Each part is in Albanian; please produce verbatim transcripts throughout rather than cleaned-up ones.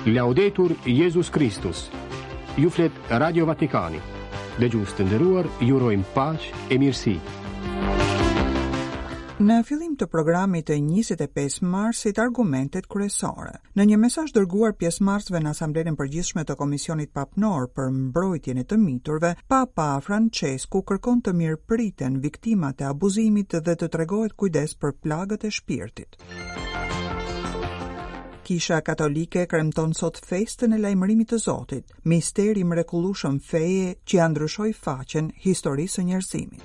Laudetur Jezus Kristus. Ju flet Radio Vatikani. Dëgjues të nderuar, ju urojmë paqe e mirësi. Në fillim të programit të njëzet e pesë marsit, argumentet kryesore. Në një mesazh dërguar pjesëmarrësve në Asamblenë e Përgjithshme të Komisionit Papnor për Mbrojtjen e të Miturve, Papa Francesku kërkon të mirëpriten viktimat e abuzimit dhe të tregohet kujdes për plagët e shpirtit. Kisha Katolike kremton sot festën e lajmërimit të Zotit, misteri i mrekullueshëm feje që ia ndryshoi faqen historisë së njerëzimit.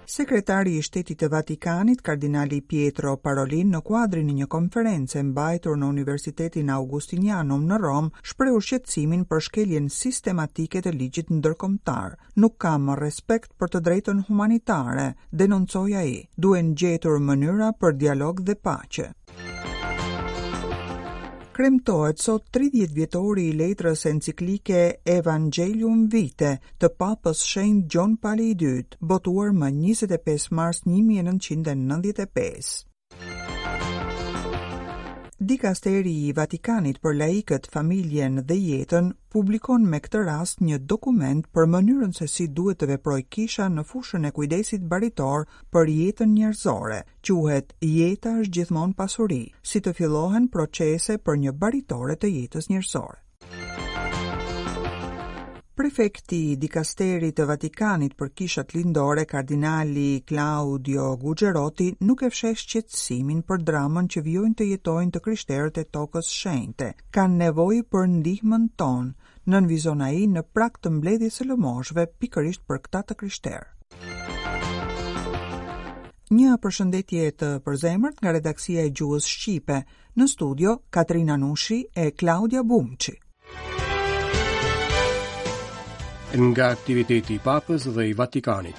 Sekretari i Shtetit të Vatikanit, Kardinali Pietro Parolin, në kuadrin e një konference mbajtur në Universitetin Augustinianum në Romë, shprehu shqetësimin për shkeljen sistematike të ligjit ndërkombëtar. "Nuk ka më respekt për të drejtën humanitare", denoncoi ai. "Duhen gjetur mënyra për dialog dhe paqe." Kremtohet sot tridhjetë vjetori i letrës enciklike Evangelium Vitae të Papës Shenjt Gjon Pali i Dytë, botuar më njëzet e pesë mars një mijë e nëntëqind e nëntëdhjetë e pesë. Dikasteri i Vatikanit për laikët, familjen dhe jetën publikon me këtë rast një dokument për mënyrën se si duhet të veprojë kisha në fushën e kujdesit baritor për jetën njerëzore. Quhet "Jeta është gjithmonë pasuri", si të fillohen procese për një baritore të jetës njerëzore. Prefekti i dikasterit të Vatikanit për kishat lindore, kardinali Claudio Gugerotti, nuk e fsheh shqetësimin për dramën që vijojnë të jetojnë të krishterët e tokës shenjte. "Kanë nevojë për ndihmën tonë", nënvizon ai në prag të mbledhjes së lëmoshëve pikërisht për këta të krishterë. Një përshëndetje të përzemërt nga redaksia e gjuhës shqipe. Në studio Katrina Nushi e Klaudia Bumçi. Nga aktiviteti i Papës dhe i Vatikanit.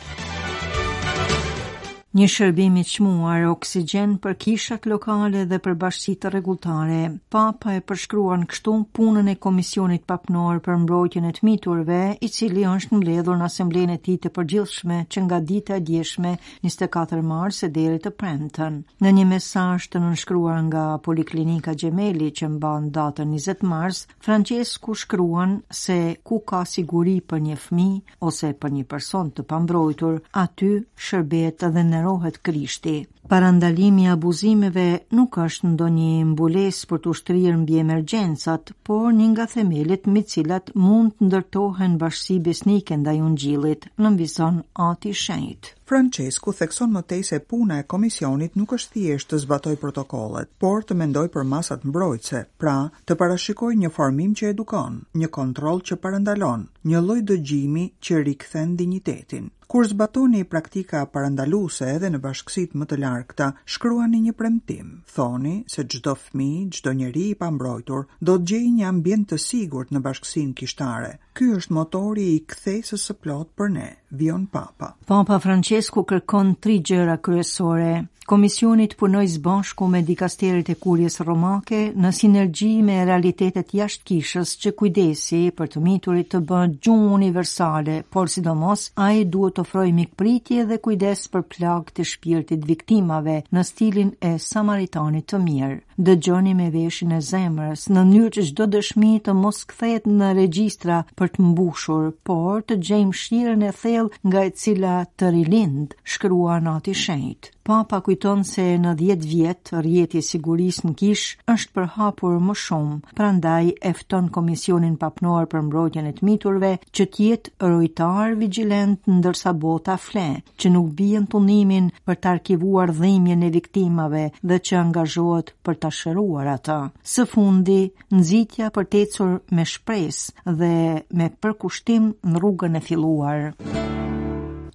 Një shërbim i çmuar oksigjen për kishat lokale dhe për bashkësitë rregulltare. Papa e përshkruan kështu punën e Komisionit Papnor për Mbrojtjen e të Miturve, i cili është mbledhur në asamblenë e tij të përgjithshme që nga dita e djeshme njëzet e katër mars e deri të premten. Në një mesazh të nënshkruar nga Poliklinika Gemelli që mban datën njëzet mars, Francesku shkruan se ku ka siguri për një fëmijë ose për një person të pambrojtur, aty shërbehet dhe nderohet Krishti. Parandalimi i abuzimeve nuk është ndonjë mbulesë për të shtrirë mbi emergjencat, por një nga themelet me cilat mund të ndërtohen bashkësi besnike ndaj Ungjillit, nënvizon Ati Shenjt. Francesku thekson më tej se puna e komisionit nuk është thjesht të zbatojë protokollet, por të mendojë për masat mbrojtëse, pra të parashikojë një formim që edukon, një kontroll që parandalon, një lloj dëgjimi që rikthen dinjitetin. "Kur zbatoni praktika parandaluese edhe në bashkësitë më të largëta, shkruani një premtim. Thoni se çdo fëmijë, çdo njeri i pambrojtur do të gjejë një ambient të sigurt në bashkësinë kishtare. Ky është motori i kthesës së plotë për ne", vijon Papa. Papa Francesku kërkon tri gjëra kryesore. Komisioni të punojë së bashku me dikasteret e kurjes romake në sinergji me realitetet jashtë kishës, që kujdesi për të miturit të bëhet gjuhë universale, por sidomos ai duhet të ofrojë mikpritje dhe kujdes për plagët e shpirtit viktimave në stilin e Samaritanit të mirë. Dëgjoni me veshin e zemrës, në mënyrë që çdo dëshmi të mos kthehet në regjistra për të mbushur, por të gjejmë mëshirën e thellë nga e cila të rilind, shkruan Ati Shenjt. Papa kujton se në dhjetë vjet rrjeti i sigurisë në kishë është përhapur më shumë, prandaj e fton Komisionin Papnor për Mbrojtjen e të Miturve që të jetë rojtar vigjilent ndërsa bota fle, që nuk bie në punimin për të arkivuar dhimbjen e viktimave dhe që angazhohet për ta shëruar atë. Së fundi, nxitja për të ecur me shpresë dhe me përkushtim në rrugën e filluar.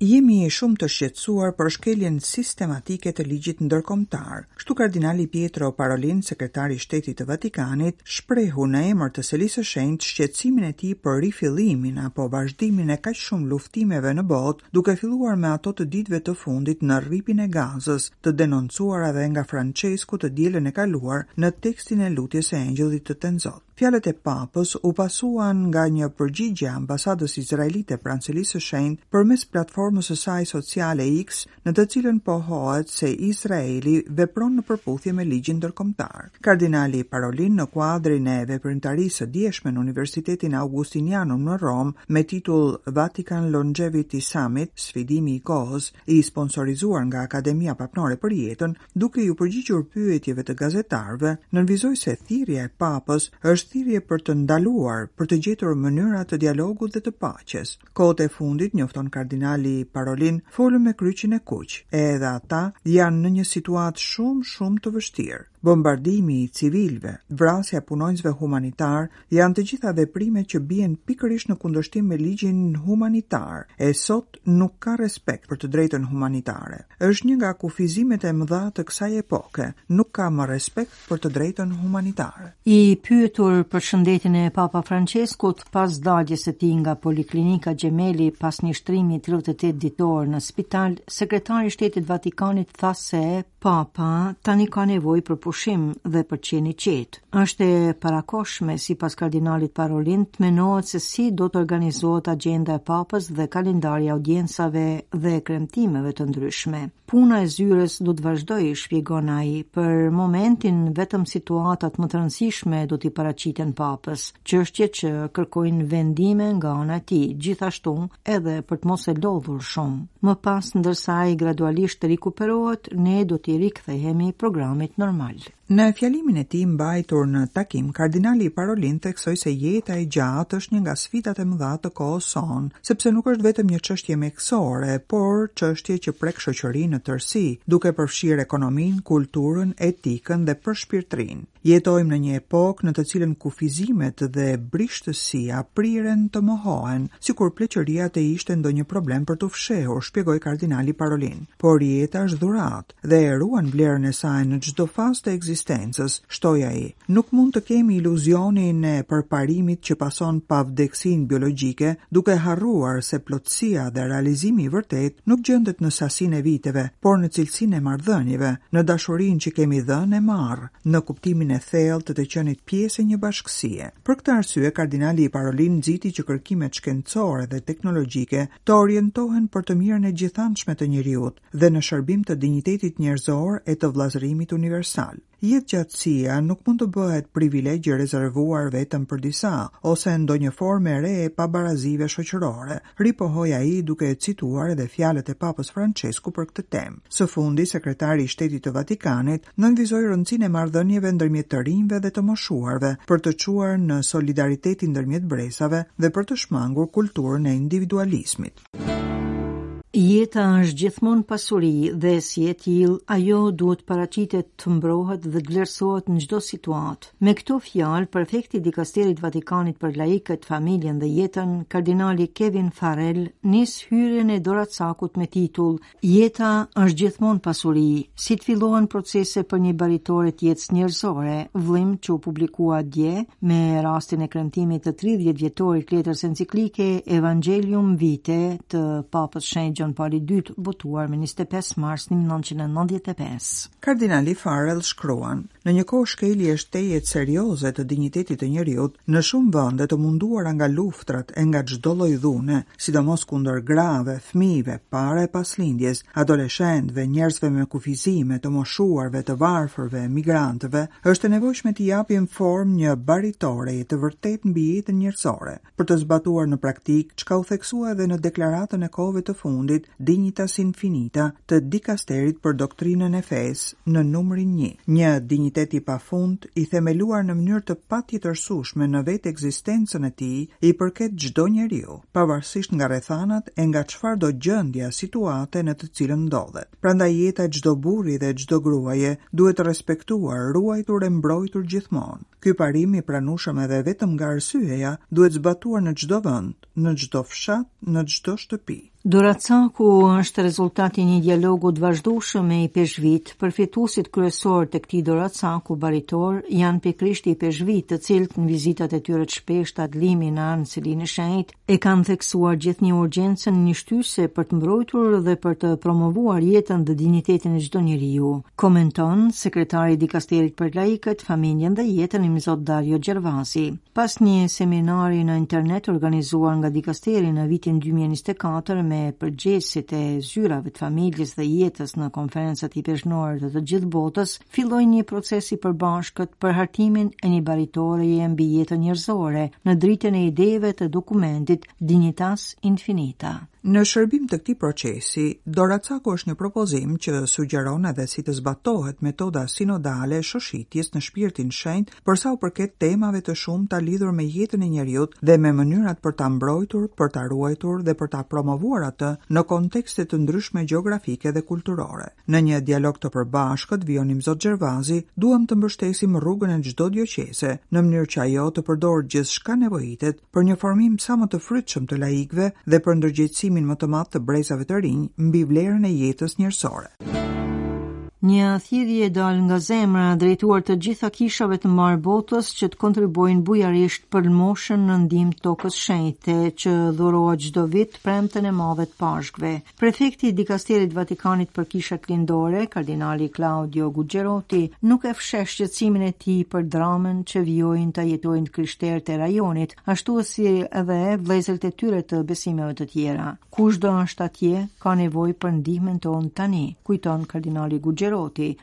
"Jemi shumë të shqetësuar për shkeljen sistematike të ligjit ndërkombëtar." Kështu kardinali Pietro Parolin, sekretari i Shtetit të Vatikanit, shprehu në emër të Selisë së Shenjtë shqetësimin e tij për rifillimin apo vazhdimin e kaq shumë luftimeve në botë, duke filluar me ato të ditëve të fundit në Rripin e Gazës, të denoncuara edhe nga Francesku të dielën e kaluar në tekstin e lutjes së Engjëllit të Tenzot. Fjalët e Papës u pasuan nga një përgjigje e ambasadës izraelite pranë Selisë së Shenjtë përmes platformës së saj sociale X, në të cilën pohohet se Izraeli vepron në përputhje me ligjin ndërkombëtar. Kardinali Parolin, në kuadrin e veprimtarisë së djeshme në Universitetin Augustinianum në Romë me titull Vatican Longevity Summit, sfidimi i kohës, i sponsorizuar nga Akademia Papnore për Jetën, duke iu përgjigjur pyetjeve të gazetarëve, nënvizoi se thirrja e Papës është thirrje për të ndaluar, për të gjetur mënyra të dialogut dhe të paqes. Kohët e fundit, njofton kardinali Parolin, folëm me Kryqin e Kuq, edhe ata janë në një situatë shumë shumë të vështirë. Bombardimi i civilëve, vrasja e punonjësve humanitar janë të gjitha veprime që bien pikërisht në kundërshtim me ligjin humanitar, e sot nuk ka respekt për të drejtën humanitare. Është një nga kufizimet e mëdha të kësaj epoke, nuk ka më respekt për të drejtën humanitare. I pyetur për shëndetin e Papa Franceskut pas daljes së tij nga Poliklinika Gemelli pas një shtrimi tridhjetë e tetë ditor në spital, sekretari i Shtetit Vatikanit tha se Papa tani ka nevojë për pushim dhe për qenë i qetë. Është e parakohshme, sipas kardinalit Parolin, të menohet se si do të organizohet agjenda e Papës dhe kalendari i audiencave dhe kremtimeve të ndryshme. Puna e zyrës do të vazhdojë, shpjegon ai. Për momentin vetëm situatat më të rëndësishme do t'i paraqiten Papës, çështje që kërkojnë vendime nga ana e tij, gjithashtu edhe për të mos e lodhur shumë. Më pas, ndërsa ai gradualisht rikuperohet, ne do t'i rikthehemi programit normal. Në fjalimin e tij mbajtur në takim, kardinali Parolin theksoi se jeta e gjatë është një nga sfidat e mëdha të kohës sonë, sepse nuk është vetëm një çështje mjekësore, por çështje që prek shoqërinë në tërësi, duke përfshirë ekonominë, kulturën, etikën dhe përshpirtërinë. Jetojmë në një epokë në të cilën kufizimet dhe brishtësia priren të mohohen, sikur pleqëria të ishte ndonjë problem për t'u fshehur, shpjegoi kardinali Parolin. Por jeta është dhuratë dhe e ruan vlerën e saj në çdo fazë të ekzistencës, shtoi ai. Nuk mund të kemi iluzionin e përparimit që pason pavdekësinë biologjike, duke harruar se plotësia dhe realizimi i vërtet nuk gjendet në sasinë e viteve, por në cilësinë e marrëdhënieve, në dashurinë që kemi dhënë e marrë, në kuptimin e thellë të të qenit pjesë e një bashkësie. Për këtë arsye, kardinali Parolin nxiti që kërkimet shkencore dhe teknologjike të orientohen për të mirën e gjithanshme të njeriut dhe në shërbim të dinjitetit njerëzor e të vëllazërimit universal. Jetëgjatësia nuk mund të bëhet privilegj i rezervuar vetëm për disa ose ndonjë formë e re e pabarazive shoqërore, ripohoi ai duke cituar edhe fjalët e Papës Francesku për këtë temë. Së fundi, sekretari i Shtetit të Vatikanit nënvizoi rëndësinë e marrëdhënieve ndërmjet të rinjve dhe të moshuarve për të çuar në solidaritetin ndërmjet brezave dhe për të shmangur kulturën e individualizmit. Jeta është gjithmonë pasuri dhe si e tillë ajo duhet paraqitet, të mbrohet dhe të vlerësohet në çdo situatë. Me këto fjalë, prefekti i dikasterit Vatikanit për laikët, familjen dhe jetën, kardinali Kevin Farrell, nis hyrjen e doracakut me titull Jeta është gjithmonë pasuri, si të fillohen procese për një baritore të jetës njerëzore, vëllim që u publikua dje me rastin e kremtimit të tridhjetë vjetorit letrës enciklike Evangelium Vitae të Papës Shenjt Gjon Pali i dytë, botuar më njëzet e pesë mars një mijë e nëntëqind e nëntëdhjetë e pesë. Kardinali Farrell shkruan: Në një kohë shkelje tejet serioze të dinjitetit të njeriut, në shumë vende të munduara nga luftrat e nga çdo lloj dhune, sidomos kundër grave, fëmijëve, para e pas lindjes, adoleshentëve, njerëzve me kufizime, të moshuarve, të varfërve, migrantëve, është e nevojshme t'i japim formë një baritoreje të vërtetë mbi jetën njerëzore, për të zbatuar në praktikë çka u theksua edhe në deklaratën e kohëve të fundit Dignitas Infinita të dikasterit për doktrinën e fesë në numrin një. Një dinjitet i pafund, i themeluar në mënyrë të patjetërsueshme në vetë ekzistencën e tij, i përket çdo njeriu, pavarësisht nga rrethanat e nga çfarëdo gjendja, situate në të cilën ndodhet. Prandaj jeta e çdo burri dhe çdo gruaje duhet respektuar, ruajtur e mbrojtur gjithmonë. Ky parim i pranueshëm edhe vetëm nga arsyeja duhet zbatuar në çdo vend, në çdo fshat, në çdo shtëpi. Doracaku është rezultat i një dialogu të vazhdueshëm me ipeshkvit. Përfituesit kryesor të këtij doracaku baritor janë pikërisht ipeshkvit, të cilët në vizitat e tyre të shpeshta të limina në Selinë e Shenjtë e kanë theksuar gjithnjë urgjencën një shtyse për të mbrojtur dhe për të promovuar jetën dhe dinjitetin e çdo njeriu. Komenton sekretari i dikasterit për laikët, familjen dhe jetën Imzot Dario Gervasi. Pas një seminari në internet organizuar nga dikasteri në vitin dy mijë e njëzet e katër me përgjegjësit e zyrave të familjes dhe jetës në konferencat ipeshkvnore të të gjithë botës, filloi një proces i përbashkët për hartimin e një baritoreje mbi jetën njerëzore në dritën e ideve të dokumentit Dignitas Infinita. Në shërbim të këtij procesi, Doracaku është një propozim që sugjeron edhe si të zbatohet metoda sinodale e shoshitjes në shpirtin shenjt për sa u përket temave të shumta lidhur me jetën e njeriut dhe me mënyrat për ta mbrojtur, për ta ruajtur dhe për ta promovuar atë në kontekste të ndryshme gjeografike dhe kulturore. Në një dialog të përbashkët, vijon Imzot Gervasi, duam të mbështesim rrugën e çdo dioqeze në mënyrë që ajo të përdorë gjithçka nevojitet për një formim sa më të frytshëm të laikëve dhe për ndërgjegjësimin më të madh të brezave të rinj mbi vlerën e jetës njerëzore. Një thirrje e dalë nga zemra drejtuar të gjitha kishave të mbarë botës që të kontribuojnë bujarisht për lëmoshën në ndihmë tokës shenjte që dhurohet çdo vit premten e madhe të Pashkëve. Prefekti i dikasterit Vatikanit për kishat lindore, kardinali Claudio Gugerotti, nuk e fsheh shqetësimin e tij për dramën që vijojnë ta jetojnë të krishterët e rajonit, ashtu si edhe vëllezërit e tyre të besimeve të tjera. Kushdo është atje ka nevojë për ndihmën tonë tani, kujton kardinali Gugerotti,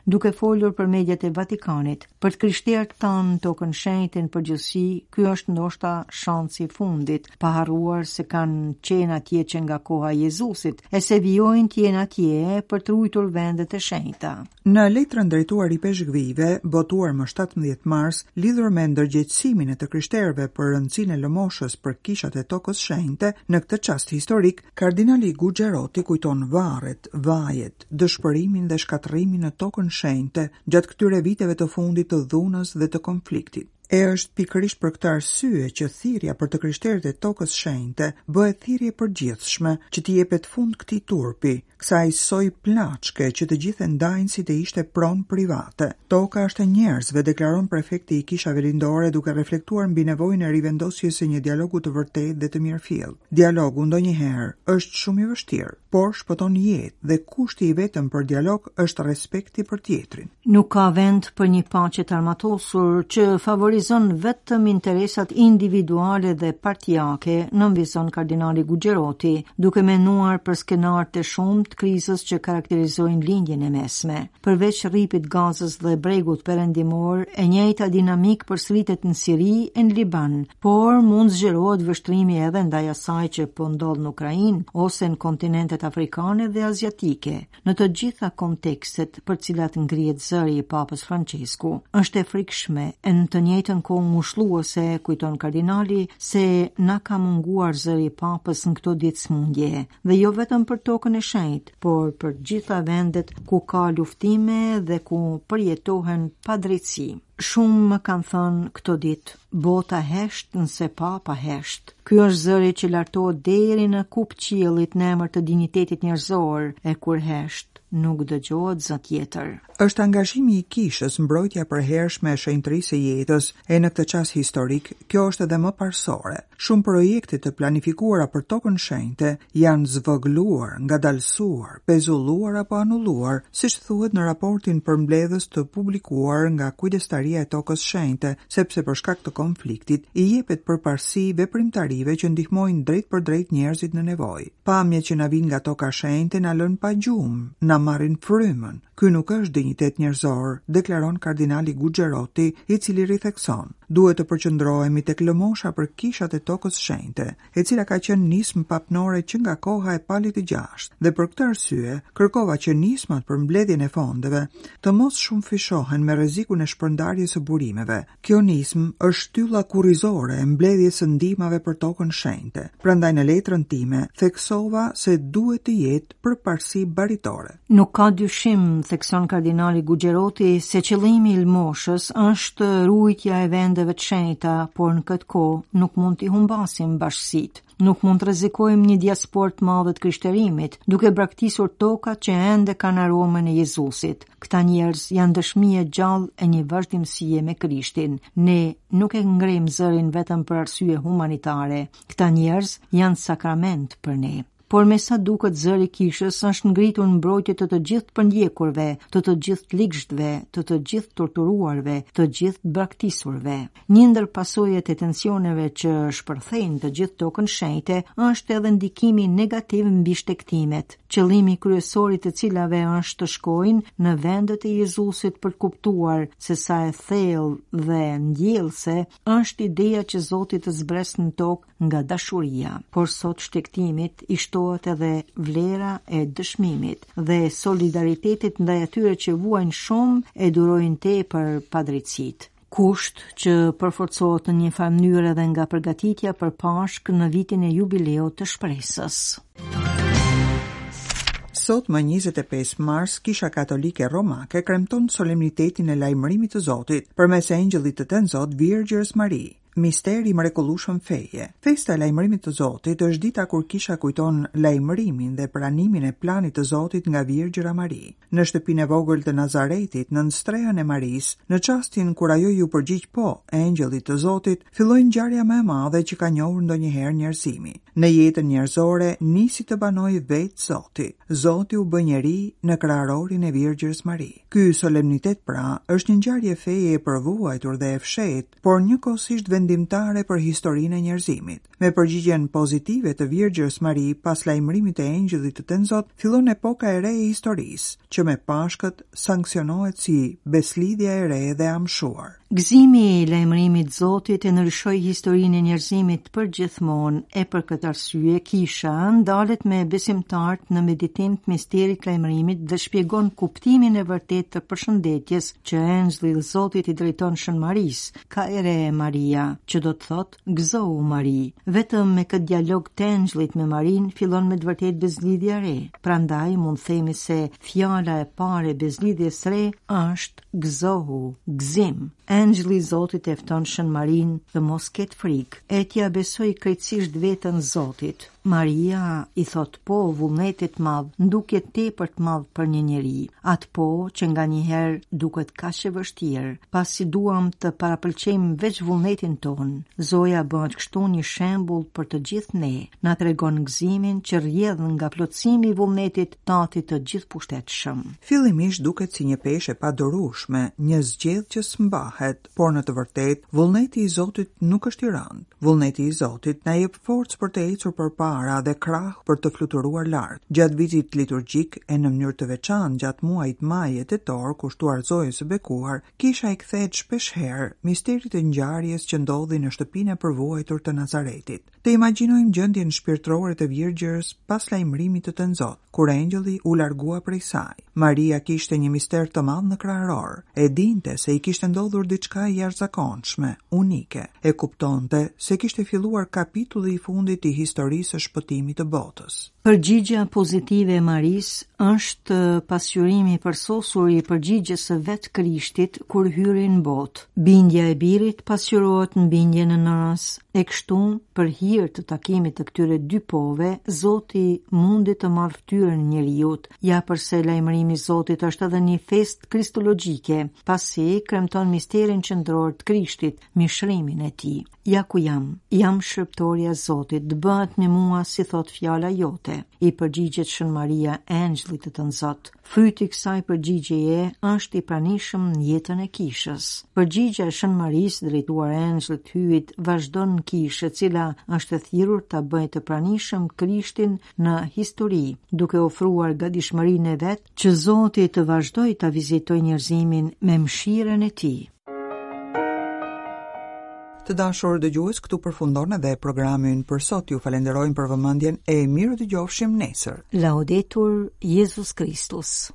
duke folur për mediat e Vatikanit. Për të krishterët tanë në tokën shenjte në përgjithësi, ky është ndoshta shansi i fundit, pa harruar se kanë qenë atje që nga koha e Jezusit, e se vijojnë të jenë atje për të ruajtur vendet e shenjta. Në letrën drejtuar ipeshkvive, botuar më shtatëmbëdhjetë mars, lidhur me ndërgjegjësimin e të krishterëve për rëndësinë e lëmoshës për kishat e tokës shenjte, në këtë çast historik, kardinali Gugerotti kujton varret, vajet, dëshpërimin dhe shkatërrimin në tokën shenjte gjatë këtyre viteve të fundit të dhunës dhe të konfliktit. E është pikërisht për këtë arsye që thirrja për të krishterët e tokës shenjte bëhet thirrje e përgjithshme që t'i jepet fund këtij turpi, kësaj soj plaçke që të gjithë e ndajnë si të ishte pronë private. Toka është e njerëzve, deklaron prefekti i kishave lindore duke reflektuar mbi nevojën e rivendosjes së një dialogu të vërtetë dhe të mirëfilltë. Dialogu ndonjëherë është shumë i vështirë, por shpëton jetë dhe kushti i vetëm për dialog është respekti për tjetrin. Nuk ka vend për një paqe të armatosur që favorizon vetëm interesat individuale dhe partiake, nënvizon kardinali Gugerotti, duke menduar për skenarët e shumtë të krizës që karakterizojnë lindjen e mesme. Përveç rripit Gazës dhe bregut perëndimor, e njëjta dinamikë përsëritet në Siri e në Liban, por mund zgjerohet vështrimi edhe ndaj asaj që po ndodh në Ukrainë ose në kontinentet afrikane dhe aziatike. Në të gjitha kontekstet për cilat ngrihet zëri i Papës Francesku, është e frikshme e në të njëjtën kohë ngushëlluese, kujton kardinali, se na ka munguar zëri i Papës në këto ditë smundje, dhe jo vetëm për tokën e shenjtë, por për gjitha vendet ku ka luftime dhe ku përjetohen padrejtësi. Shumë më kanë thënë këto ditë, bota hesht nëse papa hesht. Ky është zëri që lartohet deri në kupë qiellit në emër të dinjitetit njerëzor, e kur hesht nuk dëgjohet zë tjetër. Është angazhimi i kishës, mbrojtja e përhershme e shenjtërisë së jetës, e në këtë çast historik, kjo është edhe më parësore. Shumë projekte të planifikuara për tokën shenjte janë zvogëluar, ngadalësuar, pezulluar apo anulluar, siç thuhet në raportin përmbledhës të publikuar nga Kujdestaria e Tokës Shenjte, sepse për shkak të konfliktit i jepet përparësi veprimtarive që ndihmojnë drejt për drejt njerëzit në nevojë. Pamjet që na vijnë nga toka shenjte na lënë pa gjumë, na marrin frymën. Ky nuk është dinjitet njerëzor, deklaron kardinali Gugerotti, i cili rithekson: duhet të përqendrohemi tek lëmosha për kishat e tokës shenjte, e cila ka qenë nismë papnore që nga koha e Palit të gjashtë, dhe për këtë arsye kërkova që nismat për mbledhjen e fondeve të mos shumëfishohen me rrezikun e shpërndarjes së burimeve. Kjo nismë është shtylla kurrizore e mbledhjes së ndihmave për tokën shenjte. Prandaj në letrën time theksova se duhet të jetë përparësi baritore. Nuk ka dyshim, thekson kardinali Gugerotti, se qëllimi i lëmoshës është ruajtja e vendeve vendeve të shenjta, por në këtë kohë nuk mund t'i humbasim bashkësitë. Nuk mund të rrezikojmë një diasporë të madhe të krishterimit, duke braktisur tokat që ende kanë aromën e Jezusit. Këta njerëz janë dëshmi e gjallë e një vazhdimësie me Krishtin. Ne nuk e ngrejmë zërin vetëm për arsye humanitare. Këta njerëz janë sakrament për ne. Por me sa duket zëri i kishës është ngritur në mbrojtje të të gjithë të përndjekurve, të të gjithë të ligshtëve, të të gjithë torturuarve, të gjithë të braktisurve. Një ndër pasojat e tensioneve që shpërthejnë të gjithë tokën shenjte është edhe ndikimi negativ mbi shtegtimet, qëllimi kryesor i të cilave është të shkojnë në vendet e Jezusit për të kuptuar se sa e thellë dhe ndjellëse është ideja që Zoti të zbresë në tokë nga dashuria. Por sot shtegtimit i shtohet edhe vlera e dëshmimit dhe solidaritetit ndaj atyre që vuajnë shumë e durojnë tepër padrejtësitë. Kusht që përforcohet në një farë mënyrë edhe nga përgatitja për Pashkë në vitin e jubileut të shpresës. Sot më njëzet e pesë mars, Kisha Katolike Romake kremton solemnitetin e lajmërimit të Zotit përmes engjëllit të Tenzot Virgjërës Mari. Misteri i mrekullueshëm feje. Festa e lajmërimit të Zotit është dita kur kisha kujton lajmërimin dhe pranimin e planit të Zotit nga Virgjëra Mari. Në shtëpinë e vogël të Nazaretit, nën strehën e Marisë, në çastin kur ajo iu përgjigj po engjëllit të Zotit, filloi ngjarja më e madhe që ka njohur ndonjëherë njerëzimi. Në jetën njerëzore nisi të banojë vetë Zoti. Zoti u bë njeri në kraharorin e Virgjërës Mari. Ky solemnitet pra është një ngjarje feje e përvuajtur dhe e fshehtë, por njëkohësisht vendimtare për historinë e njerëzimit. Me përgjigjen pozitive të Virgjërës Mari pas lajmërimit të engjëllit të Tenzot, fillon epoka e re e historisë, që me Pashkët sanksionohet si beslidhja e re dhe amshuar. Gëzimi i lajmërimit Zotit e ndryshoi historinë e njerëzimit për gjithmonë, e për këtë arsye kisha ndalet me besimtarët në meditim të misterit të lajmërimit dhe shpjegon kuptimin e vërtetë të përshëndetjes që engjëlli i Zotit i drejton Shën Marisë, Kaere Maria, që do të thotë gëzohu Mari. Vetëm me këtë dialog të engjëllit me Marinë fillon me të vërtetë bezlidhja e re. Prandaj mund themi se fjala e parë e bezlidhjes re është gëzohu, gëzim. Engjëlli i Zotit e fton Shën Marinë të mos ketë frikë, e t'ia besoj krejtësisht veten Zotit. Maria i thot po vullnetit madh, në tepër të madh për një njeri. Atë po që nganjëherë duket kaq e vështirë, pasi duam të parapëlqejmë veç vullnetin ton. Zoja bëhet kështu një shembull për të gjithë ne, na tregon gëzimin që rrjedh nga plotësimi i vullnetit Tatit të gjithëpushtetshëm. Fillimisht duket si një peshë e padurueshme, një zgjedh që s'mbahet, por në të vërtetë vullneti i Zotit nuk është i rëndë. Vullneti i Zotit na jep forcë për të ecur përpara dhe krah për të fluturuar lart. Gjatë vitit liturgjik e në mënyrë të veçantë gjatë muajit maj e tetor kushtuar Zojës së Bekuar, kisha i kthehet shpesh herë misterit të ngjarjes që ndodhi në shtëpinë e përvuajtur të Nazaretit. Të imagjinojmë gjendjen shpirtërore të Virgjërës pas lajmërimit të Tenzot, kur engjëlli u largua prej saj. Maria kishte një mister të madh në kraharor. E dinte se i kishte ndodhur diçka e jashtëzakonshme, unike. E kuptonte se kishte filluar kapitulli i fundit i historisë së shpëtimit të botës. Përgjigja pozitive e Marisë është pasqyrimi i përsosur i përgjigjes së vetë Krishtit kur hyri në botë. Bindja e birit pasqyrohet në bindjen e nënës, e kështu, për hir të takimit të këtyre dy pove, Zoti mundi të marrë fytyrën e njeriut. Ja përse lajmërimi i Zotit është edhe një festë kristologjike, pasi kremton misterin qendror të Krishtit, mishrimin e tij. Ja ku jam, jam shërbëtorja e Zotit, të bëhet me mua si thot fjala jote, i përgjigjet Shën Maria engjëllit të Tënzot. Fryti i kësaj përgjigjeje është i pranishëm në jetën e kishës. Përgjigja e Shën Marisë drejtuar engjëllit të Hyjit vazhdon në kishë, e cila është e thirrur ta bëjë të pranishëm Krishtin në histori, duke ofruar gatishmërinë e vet që Zoti të vazhdojë ta vizitojë njerëzimin me mëshirën e tij. Të dashur dëgjues, këtu përfundon edhe programi ynë për sot. Ju falenderojmë për vëmendjen e mirë dëgjofshim nesër. Laudetur Jezus Kristus.